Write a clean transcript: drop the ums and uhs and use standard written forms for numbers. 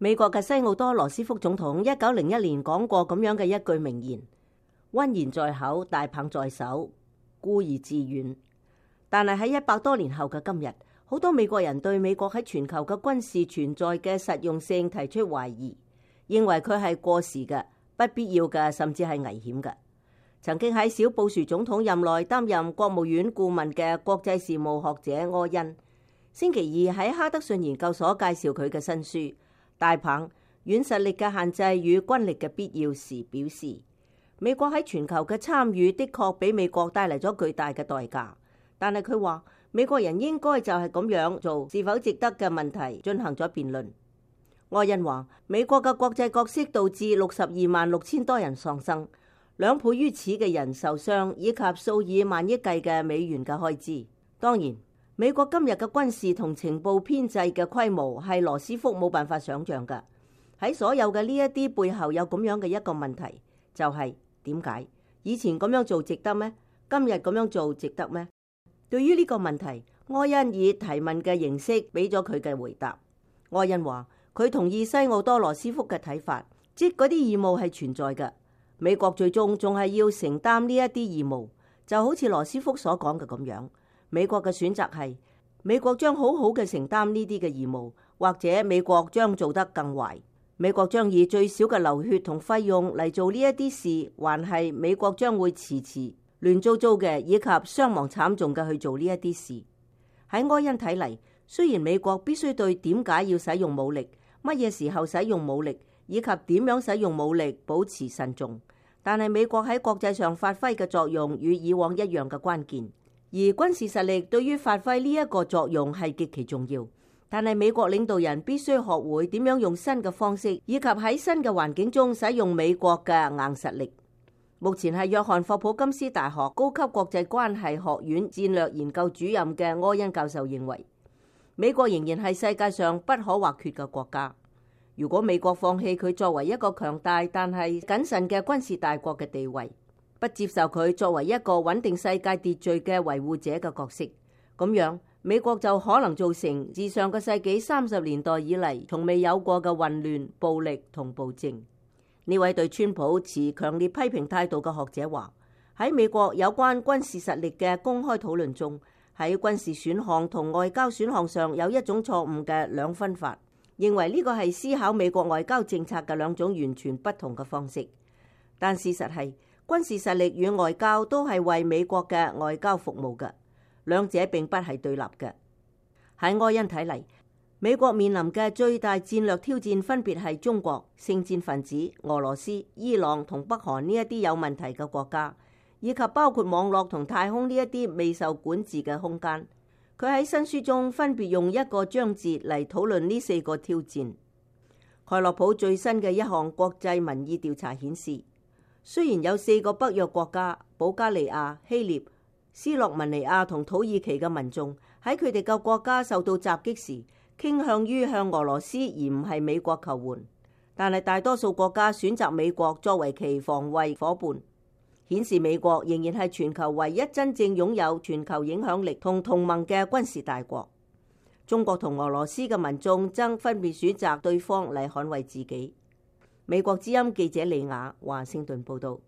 美國嘅西奧多·羅斯福總統1901年講過咁樣嘅一句名言：溫言在口，大棒在手，固而自遠。但係喺100多年後嘅今日，好多美國人對美國喺全球嘅軍事存在嘅實用性提出懷疑，認為佢係過時嘅、不必要嘅，甚至係危險嘅。曾經喺小布殊總統任內擔任國務院顧問嘅國際事務學者柯恩，星期二喺哈德遜研究所介紹佢嘅新書《大棒：軟實力嘅限制與軍力嘅必要》時表示，美國喺全球嘅參與的確俾美國帶嚟咗巨大嘅代價，但係佢話美國人應該就係咁樣做是否值得嘅問題進行咗辯論。柯恩話，美國嘅國際角色導致626000多人喪生，2倍於此嘅人受傷，以及數以萬億計嘅美元嘅開支。當然，美國今日嘅軍事同情報編制嘅規模係羅斯福冇辦法想象㗎。喺所有嘅呢一啲背後有咁樣嘅一個問題，就係點解以前咁樣做值得咩？今日咁樣做值得咩？對於呢個問題，柯恩以提問嘅形式俾咗佢嘅回答。柯恩話佢同意西奧多·羅斯福嘅睇法，即嗰啲義務係存在嘅，美國最終仲係要承擔呢一啲義務，就好似羅斯福所講嘅咁樣。美國嘅選擇係，美國將好好嘅承擔呢啲嘅義務，或者美國將做得更壞。美國將以最少嘅流血同費用嚟做呢一啲事，還係美國將會遲遲亂糟糟嘅，以及傷亡慘重嘅去做呢一啲事。喺柯恩睇嚟，雖然美國必須對點解要使用武力、乜嘢時候使用武力，以及點樣使用武力保持慎重，但係美國喺國際上發揮嘅作用與以往一樣嘅關鍵。而軍事實力對於發揮呢一個作用係極其重要，但係美國領導人必須學會點樣用新嘅方式，以及喺新嘅環境中使用美國嘅硬實力。目前係約翰霍普金斯大學高級國際關係學院戰略研究主任嘅柯恩教授認為，美國仍然係世界上不可或缺嘅國家。如果美國放棄佢作為一個強大但係謹慎嘅軍事大國嘅地位，不接受佢作為一個穩定世界秩序嘅維護者嘅角色，咁樣美國就可能造成自上個世紀30年代以嚟從未有過嘅混亂、暴力同暴政。呢位對川普持強烈批評態度嘅學者話，喺美國有關軍事實力嘅公開討論中，喺軍事選項同外交選項上有一種錯誤嘅兩分法，認為呢個係思考美國外交政策嘅兩種完全不同嘅方式。但事實係，軍事實力與外交都係為美國嘅外交服務嘅，兩者並不係對立嘅。喺柯恩睇嚟，美國面臨嘅最大戰略挑戰分別係中國、聖戰分子、俄羅斯、伊朗同北韓呢一啲有問題嘅國家，以及包括網絡同太空呢一啲未受管治嘅空間。佢喺新書中分別用一個章節嚟討論呢4個挑戰。蓋洛普最新嘅一項國際民意調查顯示，雖然有4個北約國家保加利亞、希臘、斯洛文尼亞同土耳其嘅民眾喺佢哋嘅國家受到襲擊時傾向於向俄羅斯而唔係美國求援，但係大多數國家選擇美國作為其防衛夥伴，顯示美國仍然係全球唯一真正擁有全球影響力同同盟嘅軍事大國。中國同俄羅斯嘅民眾則分別選擇對方嚟捍衛自己。美國之音記者李雅華盛頓報道。